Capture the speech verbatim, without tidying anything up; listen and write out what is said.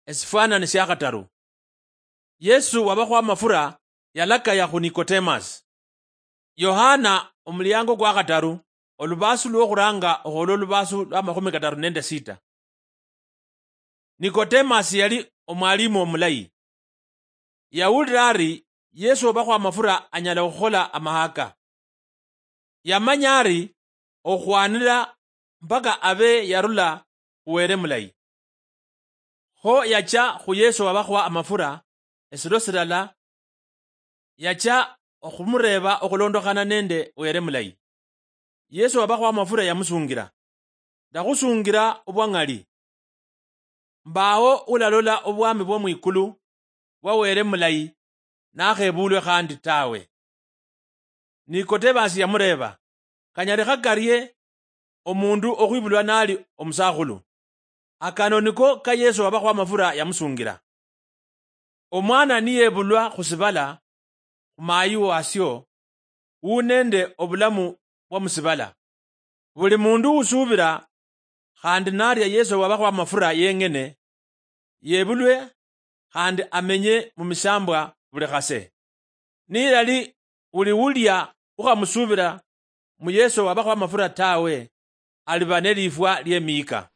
Esifwanani sia khataru. Yesu wabakho amafura yalakaya khu Nikotemasi. Yohana, omuliango kwa khataru, olubaasu lwokhuranga okhwola olubaasu lwa makhumi kataru nende sita. Nikotemasi yali omwalimu omulayi. Yawulira ari Yesu wabakho amafura anyala okhukhola amahaka. Yamanya ari okhwanira mpaka abe yarula khu Were mulayi. Kho yacha khu Yesu wabakho amafura esiro silala, yacha okhumureeba okhulondokhana nende Were mulayi. Yesu wabakho amafura yamusungira, ndakhusungira obwang'ali. Mbawo ulalola obwami bwo mwikulu bwa Were mulayi nakhebulwe khandi tawe. Nikotemasi yamureeba, kanyalikha karie omundu okhwibulwa nali omusakhulu? Akano niko ka Yesu wabakho amafura yamusungira. Omwana niyebulwa khusibala khu mayi wasio, u nende obulamu bwa musibala. Buli mundu usuubira khandi naria Yesu wabakho amafura yeng'ene, yebulwe khandi amenye mu misambwa buli khase. Nilali uli ulia ukhamusuubira mu Yesu wabakho amafura tawe, aliba nelifwa liemiyika.